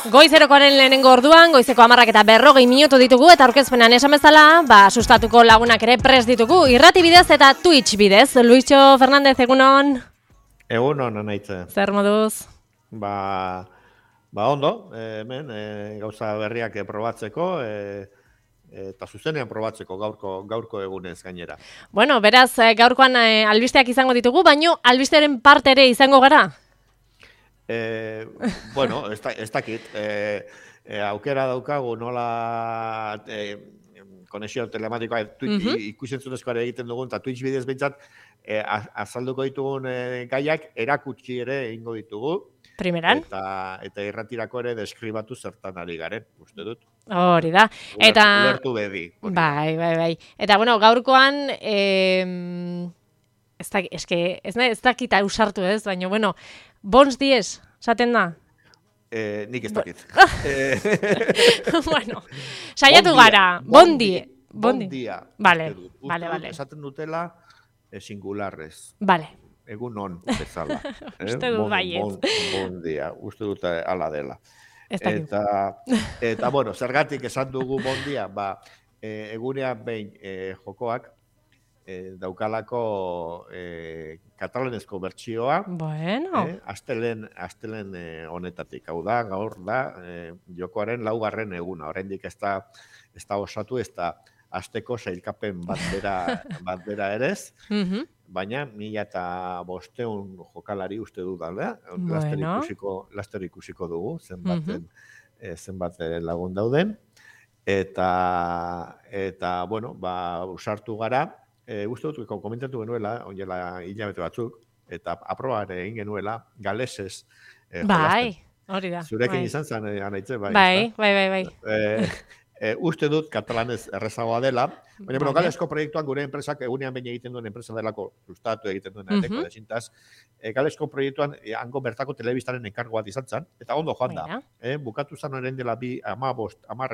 Goizerokoaren lehenengo orduan, goizeko 10:40 ditugu eta aurkezpenan esan bezala, sustatuko lagunak ere prest ditugu, irrati bidez eta Twitch bidez. Luisio Fernandez, egunon? Egunon, anaitze. Zer moduz? Ondo, hemen gauza berriak probatzeko, eta zuzenean probatzeko gaurko egunez gainera. Bueno, beraz, gaurkoan albisteak izango ditugu, baino albistearen parte ere izango gara? Bueno, ez dakit. Aukera daukagu nola konexio telematikoa ikusentzunezkoa egiten dugun, eta Twitch bidez behintzat azalduko ditugun gaiak erakutsi ere egingo ditugu. Primeran. Eta irratirako ere deskribatu zertan ari garen, uste dut. Hori da. Ulertu bedi. Bai. Eta, bueno, gaurkoan, ez dakit ausartu ez, baina, bueno, bons dies, esaten da? Nik ez dakit. Bueno, saiatu gara, bon dia. Vale. Esaten dutela singularrez. Vale. Egun on, bezala. Uste dut baiet. Bon dia, uste dut ala dela. Eta, bueno, zergatik esan dugu bon dia, egunean behin jokoak daukalako katalanezko bertsioa. Bueno. Astelen honetatik. Hau da, gaur da, jokoaren 4. eguna. Oraindik ez da osatu, ez da asteko sailkapen bat bera erez. Baina 1500 jokalari uste dut da, laster ikusiko dugu, zenbat lagun dauden. Eta bueno, usartu gara, uste dut, komentatu genuela, onela hilabete batzuk, eta aprobare egin genuela, galesez jolasten. Bai, hori da. Zurekin izan zen, anaitze, bai. Bai. Uste dut katalanez errezagoa dela, baina galesko proiektuan gure enpresak egunean behin egiten duen enpresa delako sustatu egiten duen aldeko desintaz, galesko proiektuan hango bertako telebistaren enkargo bat izan zen, eta ondo joan da. Bukatu zen horren dela 10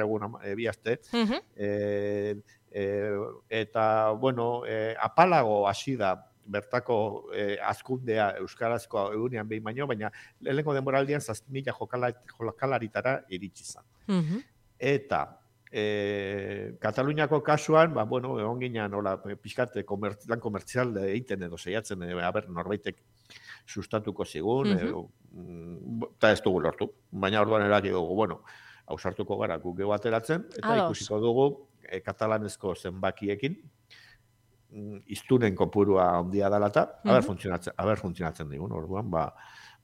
egun, 2 aste, eta, bueno, apalago hasi da bertako azkundea euskarazkoa egunean behin baino, baina lehenengo denboraldian 7.000 jokalaritara iritsi zen. Eta Kataluniako kasuan, egon ginean, pixkat lan komertzial egiten edo saiatzen, norbaitek sustatuko zigun, eta ez dugu lortu. Baina orduan eraki dugu, ausartuko gara guk ateratzen, eta ikusiko dugu katalanezko zenbakiekin, iztunen kopurua handia dela eta, aber funtzionatzen digun, orduan,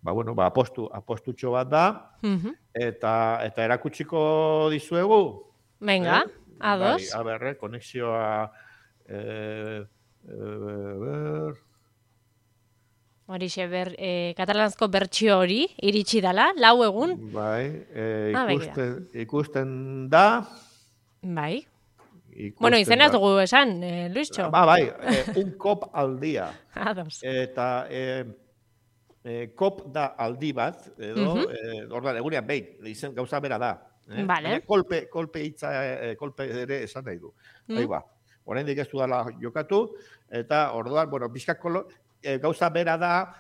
apostutxo bat da, eta erakutsiko dizuegu. Venga, ados. Konexioa... Horixe, katalanazko bertsio hori, iritsi dela, 4 egun. Bai, ikusten da. Bai. Bueno, izena ez dugu esan, Luisio. Bai, un cop al día. Ados. Eta... kop da aldi bat, edo, ordan, egunean behin, izen gauza bera da. Vale. Kolpe ere esan nahi du. Oraindik ez du dela jokatu, eta orduan, bizkak gauza bera da,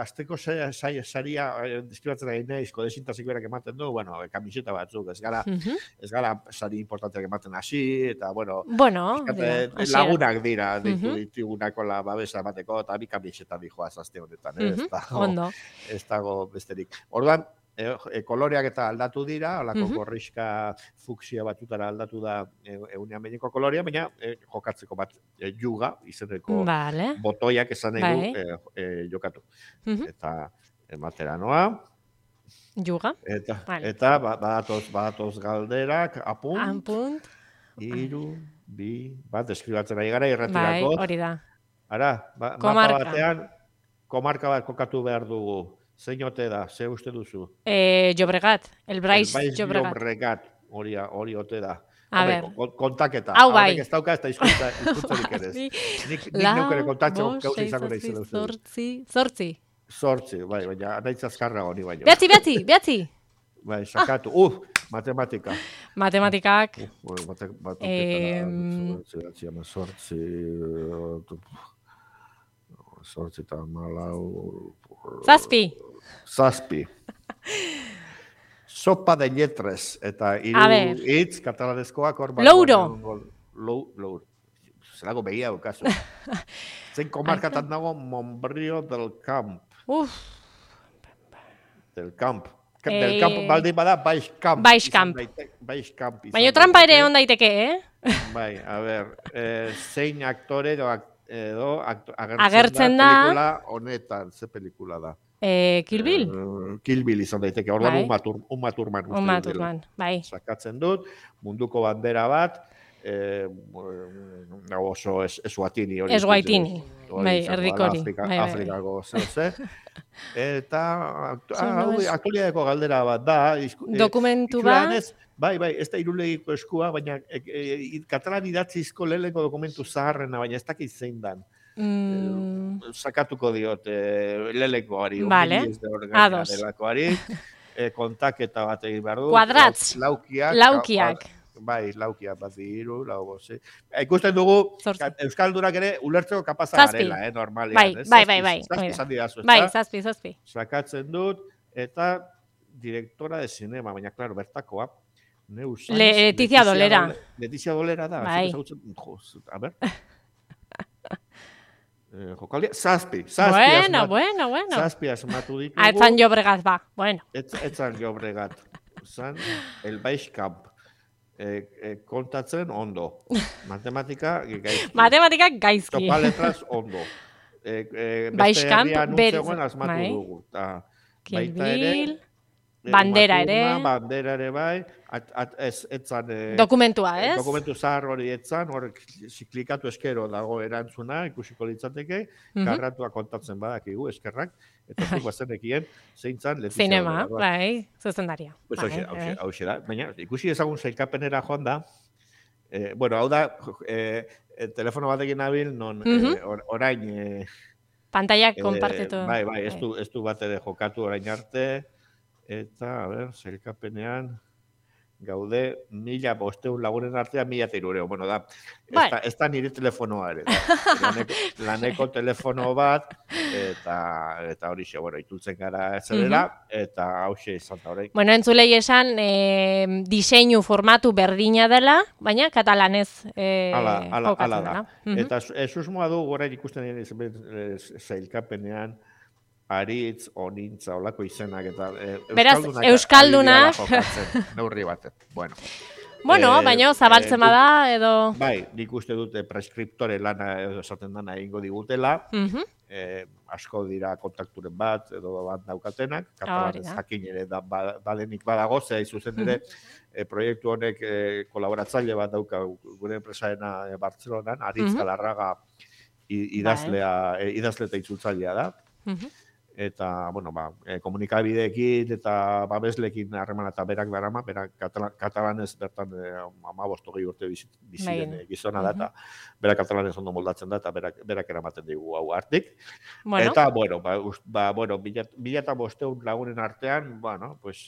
azteko saria deskribatzen egin nahizko desintazik berak ematen du, kamiseta batzuk, ez gara sari importanteak ematen hasi, eta, lagunak dira, ditugunako babesa emateko, eta bi kamiseta dijoaz azte honetan, ez dago besterik. Orduan, koloreak eta aldatu dira, holako gorrixka fuksia batutara aldatu da egunean behineko kolorea, baina jokatzeko bat juga, izeneko botoiak esan nahi du jokatu. Eta ematera noa. Juga. Eta badatoz galderak, apunt. 3, 2, 1, deskribatzen ari gara irratirako. Bai, hori da. Ara, mapa batean, komarka bat kokatu behar dugu. Zein ote da, ze uste duzu? Llobregat, el Brais Llobregat, hori ote da. Kontaketa. Hau bai. Ez dauka ez da izkuntzarik ere. Nik neukere kontatxo gauza izango nahi zen. 8, bai, baina nahi zazkarra honi baino. Behatzi. Bai, sakatu. Matematika. Matematikak. Zortzi eta malau... 7. Zazpi. Sopa de lletres, eta A hiru ver. hitz katalanezkoak hor Louro. Louro. Zelago behia okazu. Zein komarkatan dago Montbrió del Camp. Del Camp. Del Camp baldin bada, Baix Camp. Baix Camp. Baix Camp. Baina trampa ere on daiteke, Bai, a ber, zein aktore edo Agertzen da. Pelikula honetan, ze pelikula da? Kill Bill? Kill Bill izan daiteke, orduan Bai. Uma Thurman. Uma Thurman, bai. Sakatzen dut, munduko bandera bat, oso Eswatini hori. Eswatini, bai, erdiko hori. Afrikako ze. Eta aktualitateko galdera bat da. Dokumentu bat? Bai, ez da irulegiko eskua, baina katalan idatzizko lehenko dokumentu zaharrena, baina ez dakit zein dan. Sakatuko diot lehenkoari. Vale, ados. Kontaketa bat egin behar du. Kuadratz. Laukiak. Bai, laukiak bat diru, lau boze. Ikusten dugu, Euskaldunak ere ulertzeko kapaza garela, normalian. Bai. Zazpi izan didazu, bai, zazpi. Sakatzen dut, eta direktora de cinema, baina, klaro, bertakoa. Letizia Dolera. Letizia Dolera da. Bai. A ber. Jokaldia, zazpi. Bueno. Zazpi asmatu ditugu. Etzan Llobregat, ba, bueno. Etzan Llobregat. Zan, el Baix Camp. Kontatzen ondo. Matematika gaizki. Matematika gaizki. Topa letras ondo. Baix Camp, berzegoen asmatu dugu. Kill Bill, bandera ere. Bandera ere bai. Etzan... Dokumentua, ez? Dokumentu zahar hori etzan, hor klikatu eskero dago erantzuna, ikusiko litzateke, karratua kontatzen badakigu, eskerrak, eta zuk bazenekien, zeintzan Letizia Zinema, bai, zuzendaria. Hau da, baina ikusi ezagun zailkapenera joan da, bueno, hau da, telefono batekin nabil, non orain... Pantaiak konpartitu. Bai, ez du bat ere jokatu orain arte, eta, a ber, zailkapenean... Gaude, 1.500 lagunen artean 1.300. Bueno, da, ez da nire telefonoa ere. Laneko telefono bat, eta hori xe, bueno, itultzen gara zerera, eta hauxe izan da horrein. Bueno, entzulei esan, diseinu formatu berdina dela, baina katalanez jokatzen dela. Eta susmoa du, gora ikusten zailkapenean, aritz, onintza, olako izenak, eta Euskaldunak neurri baten. Bueno, baina zabaltzen bada, edo... Bai, nik uste dute preskriptore lana edo esaten dana egingo digutela, asko dira kontakturen bat, edo bat daukatenak, katalanez jakin ere badenik badago, zera izuzen ere, proiektu honek kolaboratzaile bat dauka gure enpresaena Bartzelonan, Aritz Galarraga idazle eta itzultzailea da. Eta, bueno, komunikabideekin eta babeslekin harremana eta berak darama, berak katalanez bertan 15-20 urte biziren gizona da, eta berak katalanez ondo moldatzen da, eta berak eramaten digu hau hartik. Eta, bueno, 1.500 lagunen artean, bueno, pues,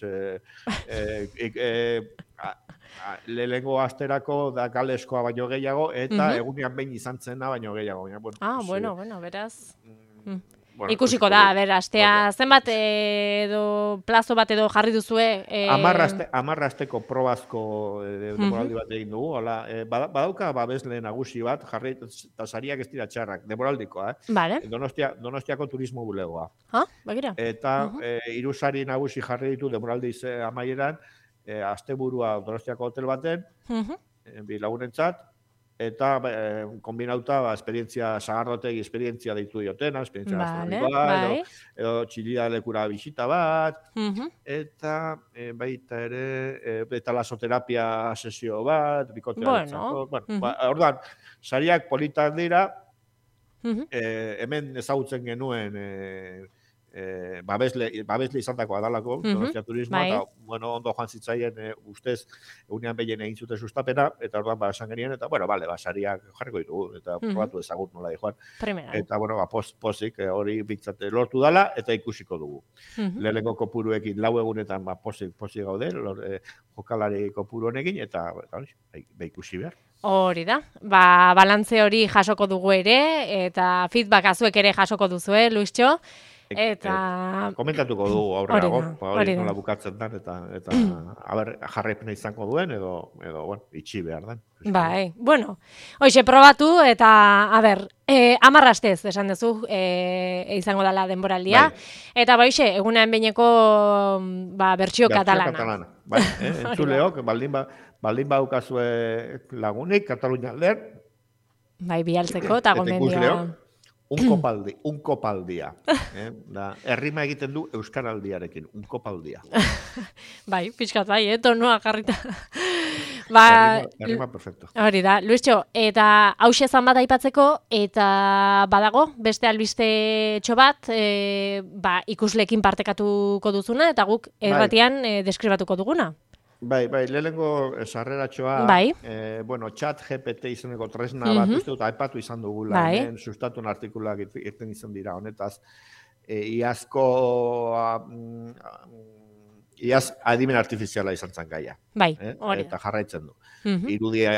lehengo asterako da galeskoa baino gehiago, eta egunean behin izan zena baino gehiago. Bueno, beraz... Ikusiko da, astea, zenbat edo plazo bat edo jarri duzue? 10 asteko probazko demoraldi bat egin dugu, badauka babesle nagusi bat, jarri, eta sariak ez dira txarrak, demoraldikoa, Donostiako turismo bulegoa. Bagira. Eta 3 sari nagusi jarri ditu demoraldi amaieran, asteburua Donostiako hotel baten, bi lagunentzat, eta kombinauta esperientzia sagarrotegi, esperientzia deitu diotena, esperientzia gastronomikoa, edo txilida lekura bisita bat, eta baita ere, eta lasoterapia sesio bat, bikotea ditzako. Orduan, sariak politak dira, hemen ezagutzen genuen babesle izan dako adalako, Donostia Turismoa, eta ondo joan zitzaien ustez egunean behien egin zuten sustapena, eta orduan esan genien, eta sariak jarriko ditugu, eta probatu ezagut nola joan. Eta pozik hori bintzate lortu dala, eta ikusiko dugu. Lehenengo kopuruekin 4 egunetan pozik gaude, jokalari kopuru honekin, eta ikusi behar. Hori da, balantze hori jasoko dugu ere, eta feedback azuek ere jasoko duzue, Luistxo. Eta komentatuko dugu aurrerago, hori da. nola bukatzen den, eta jarraipena izango duen, edo bueno, itxi behar den. Bai, bueno, hoxe probatu eta, a ber, 10 astez esan duzu, izango dela denboraldia, eta hoxe, egunean behineko bertsio katalana. Bai, entzuleok, baldin baukazue lagunik, Katalunia aldean. Bai, bialtzeko eta gomendioa. Un kopaldia. Da, errima egiten du euskaraldiarekin, un kopaldia. Bai, pixkat bai, tonua jarrita. Errima perfecto. Hori da, Luistxo, eta hause zan bat aipatzeko, eta badago, beste albiste bat, ikuslekin partekatuko duzuna, eta guk erratian deskribatuko duguna. Bai, lehenengo sarreratxoa, bueno, chat GPT izeneko tresna bat, uste dut, aipatu izan dugula, hemen sustatun artikulak irten izan dira, honetaz, iaz adimen artifiziala izan zen gaia. Bai, hori. Eta jarraitzen du. Irudi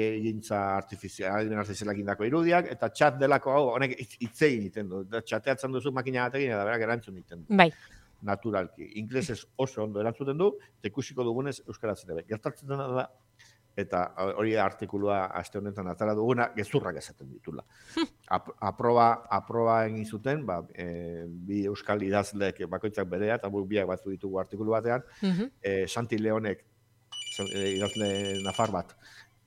egintza adimen artifizialak indako irudiak, eta chat delako hau, honek itzegin iten du. Chateatzen duzu makina batekin, eta berak erantzun iten du. Bai. Naturalki. Inglesez oso ondo erantzuten du, eta ikusiko dugunez euskaraz ere. Gertatzen dena da, eta hori da artikulua aste honetan atara duguna, gezurrak esaten ditula. Aproba egin zuten, bi euskal idazleek bakoitzak berea, eta biak batzu ditugu artikulu batean, Santi Leonek, idazle nafar bat,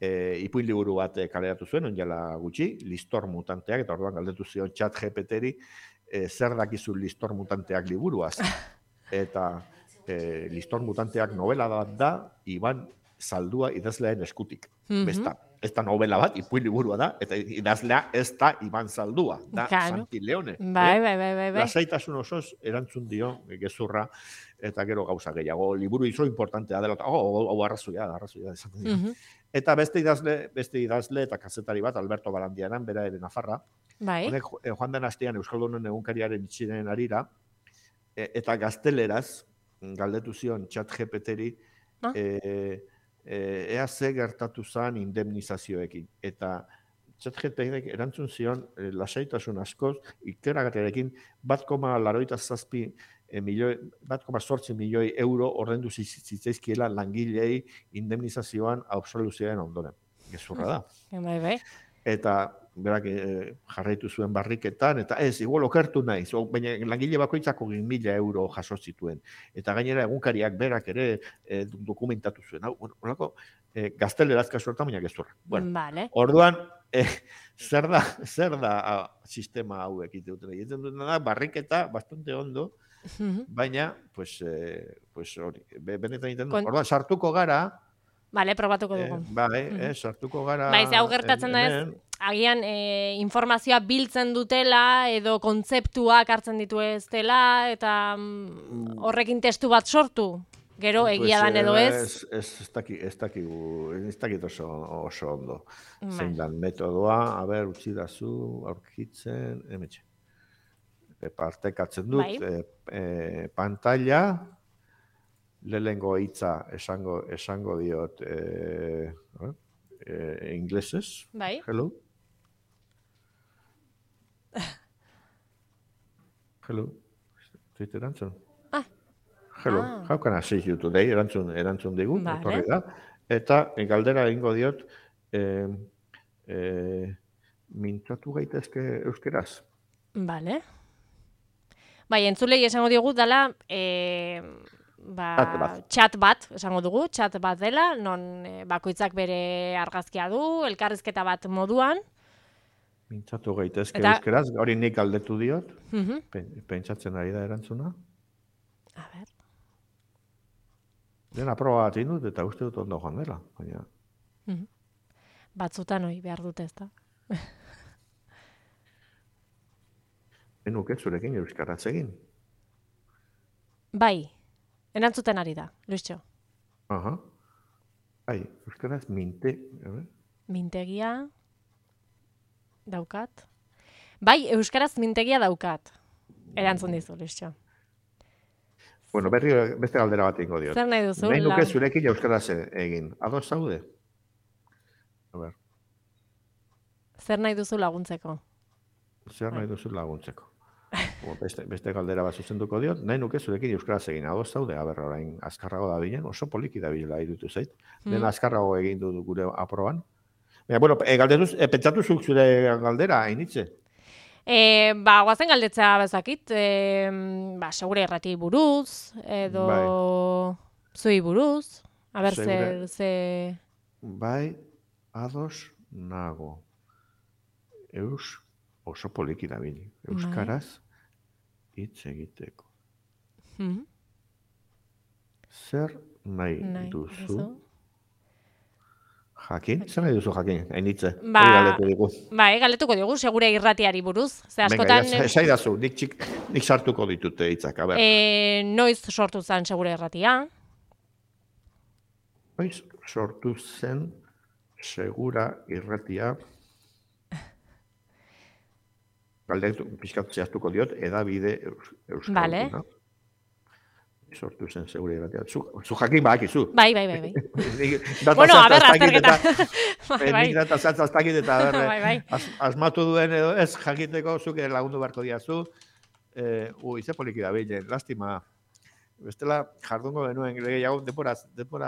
ipuin liburu bat kaleratu zuen, onjala gutxi, Listor mutanteak, eta orduan galdetu zion chat GPT-ri, zer dakizu Listor mutanteak liburuaz. Eta Listor mutanteak novela bat da, Iban Zaldua idazlearen eskutik. Ez da novela bat, ipuin liburua da, eta idazlea ez da Iban Zaldua, da Santi Leone. Bai. Lasaitasun osoz erantzun dio gezurra, eta gero gauza gehiago. Liburu izo importantea dela, hau arrazoia esaten dira. Eta beste idazle eta kazetari bat, Alberto Barandiaran, bera ere Nafarra. Honek joan den astean Euskaldunon egunkariaren itxiren arira, eta gazteleraz, galdetu zion chat GPT-ri, ea ze gertatu zen indemnizazioekin. Eta chat GPT-rik erantzun zion lasaitasun askoz, ikeragatearekin 1,87 milioi euro ordendu zitzaizkiela langilei indemnizazioan absoluzioaren ondoren. Gezurra da. Bai. Eta berak jarraitu zuen barriketan, eta igual okertu naiz, baina langile bakoitzako 1.000 euro jaso zituen. Eta gainera egunkariak berak ere dokumentatu zuen. Horako, gaztelerazka suertan, baina gezurra. Orduan, zer da sistema hauek iteuten. Egiten duten da, barriketa bastante ondo, baina, hori, benetan egiten du. Orduan, sartuko gara, probatuko dugu. Sartuko gara. Ze hau gertatzen da ez, agian informazioa biltzen dutela, edo kontzeptuak hartzen ditu ez dela, eta horrekin testu bat sortu. Gero egia dan edo ez. Ez dakit oso ondo. Zein dan metodoa, utzi dazu, aurkitzen, emetxe. Partekatzen dut, pantalla, lehengo hitza esango diot inglesez. Bai. Hello. Zuit erantzun. Hello. How can I assist you today? Erantzun digu. Etorri da. Eta galdera egingo diot mintzatu gaitezke euskeraz. Vale. Bai, entzulei esango diogu dela chat bat, esango dugu, chat bat dela, non bakoitzak bere argazkia du, elkarrizketa bat moduan. Mintzatu gaitezke euskeraz, hori nik galdetu diot, pentsatzen ari da erantzuna. A ber. Dena proba bat indut eta uste dut ondo joan dela, baina. Batzutan hoi behar dute ez da. Enuket zurekin euskaraz egin. Bai. Erantzuten ari da, Luistxo. Bai, euskaraz mintegia daukat. Bai, euskaraz mintegia daukat. Erantzun dizu, Luistxo. Bueno, beste galdera bat ingo diot. Zer nahi duzu? Nahi nuke zurekin euskaraz egin. Ados zaude? Zer nahi duzu laguntzeko? Zer nahi duzu laguntzeko? Beste galdera bat zuzenduko diot, nahi nuke zurekin euskaraz egin ados zaude, orain azkarrago da bilen, oso poliki da bilela irutu zait. Dena azkarrago egin du gure aproban. Bueno, pentsatu zuk zure galdera, hainitze? Guazen galdetza bezakit, segure errati buruz, edo zui buruz, ze... Bai, ados nago. Oso poliki da bili. Euskaraz hitz egiteko. Zer nahi duzu? Jakin? Zer nahi duzu jakin? Hainitze. Galdetuko digu, segure irratiari buruz. Venga, esaidazu, nik sartuko ditute hitzak, a ber. Noiz sortu zen segure irratia? Noiz sortu zen segura irratia. Galdetu pixkat zehaztuko diot, edabide euskalduna. Sortu zen segure irratia. Zu jakin badakizu. Bai. Bueno, a ber, azterketa. Nik data zatzaztakit eta asmatu duen edo ez jakiteko zuke lagundu beharko diazu. Ze poliki da bilen, lastima. Bestela jardungo benuen, gehiago denbora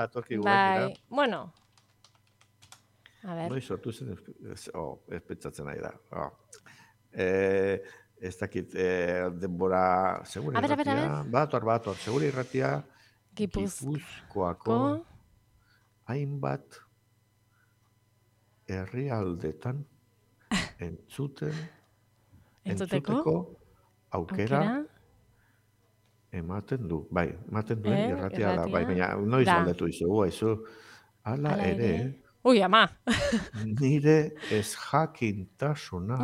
atorki guen. Bai, bueno. A ber. Noiz sortu zen, ez pentsatzen nahi da. Ez dakit denbora segure irratia. Bator, segure irratia Gipuzkoako hainbat herrialdetan entzuteko aukera ematen du. Bai, ematen duen irratia da. Bai, baina noiz aldetu izugu, hala ere. Ui, ama. Nire ez jakintasuna.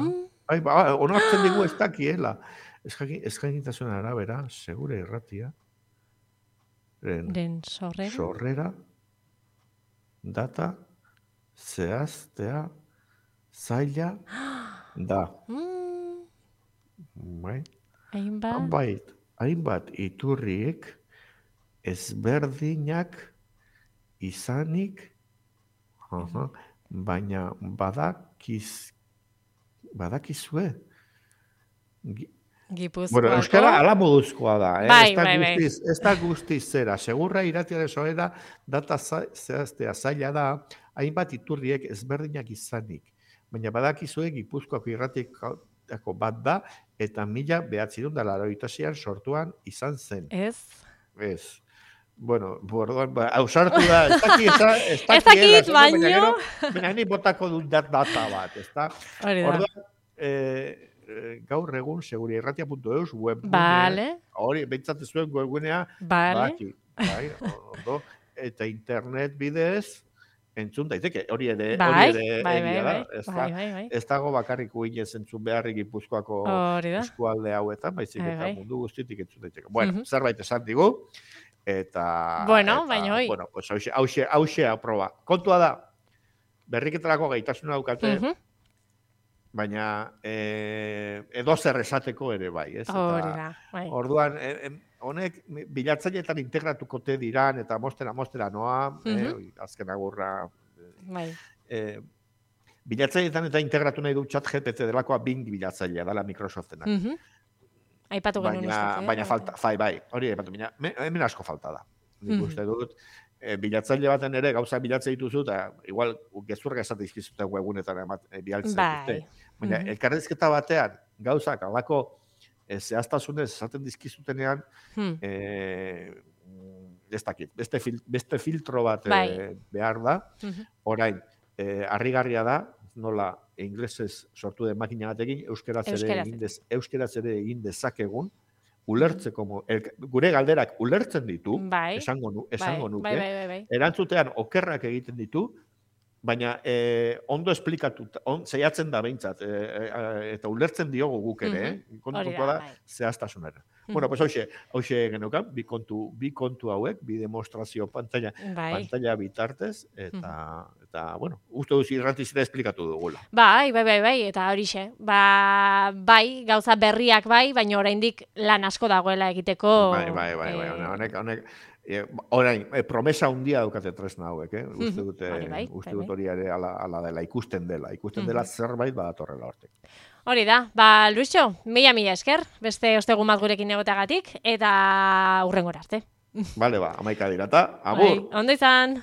Onartzen digu ez dakiela. Ez jakintasuna arabera, segure irratia. Sorrera. Data. Zehaztea. Zaila. Da. Hainbat iturriek ezberdinak izanik, baina badakizue. Gipuzkoako. Bueno, euskara ala moduzkoa da. Bai. Ez da guztiz zera. Segurra irratiaren sorrera data zehaztea zaila da, hainbat iturriek ezberdinak izanik. Baina badakizue Gipuzkoako irratiako bat da, eta 1986an sortuan izan zen. Ez. Bueno, ausartu da, ez dakit, baino. Baina ni botako dut data bat, ez da? Orduan, gaur egun seguriarratia.eus webgunea, hori, behintzat zuen webgunea, bai, eta internet bidez, entzun daiteke, hori ere egia da. Ez dago bakarrik uinen zentzun beharrik Gipuzkoako eskualde hauetan, baizik eta mundu guztitik entzun daiteke. Bueno, zerbait esan digu, eta... Bueno, baina hoi. Bueno, pues hauxe aproba. Kontua da, berriketarako gaitasuna daukate, baina edo zer esateko ere bai, ez? Hori da, bai. Orduan, honek bilatzaileetan integratuko te diran, eta mostera noa, azken agurra. Bai. Bilatzaileetan eta integratu nahi du ChatGPT delakoa Bing bilatzailea dela Microsoftenak. Aipatu genuen uste. Baina falta, bai, hori aipatu, hemen asko falta da. Nik uste dut, bilatzaile baten ere gauza bilatzea dituzu, eta igual gezurra esate izkizute webunetan bialtzea dute. Baina elkarrezketa batean gauzak alako zehaztasunez esaten dizkizutenean, ez dakit, beste filtro bat behar da, orain, harrigarria da, nola inglesez sortu den makina batekin, euskeraz ere egin dezakegun, ulertzeko, gure galderak ulertzen ditu, esango nuke, erantzutean okerrak egiten ditu, baina ondo esplikatu, zeiatzen da behintzat, eta ulertzen diogu guk ere, kontuko da zehaztasunera. Bueno, pues hauxe geneukan, bi kontu hauek, bi demostrazio pantalla bitartez, eta bueno, uste duz irratizera esplikatu dugula. Bai, eta horixe. Bai, gauza berriak bai, baina oraindik lan asko dagoela egiteko. Bai, honek, orain, promesa handia daukate tresna hauek, uste dut hori ere ala dela, ikusten dela zerbait badatorrela hortek. Hori da, Luisio, mila esker, beste ostegun bat gurekin egoteagatik, eta hurrengora arte. Vale, 11 dira eta, agur! Ondo izan!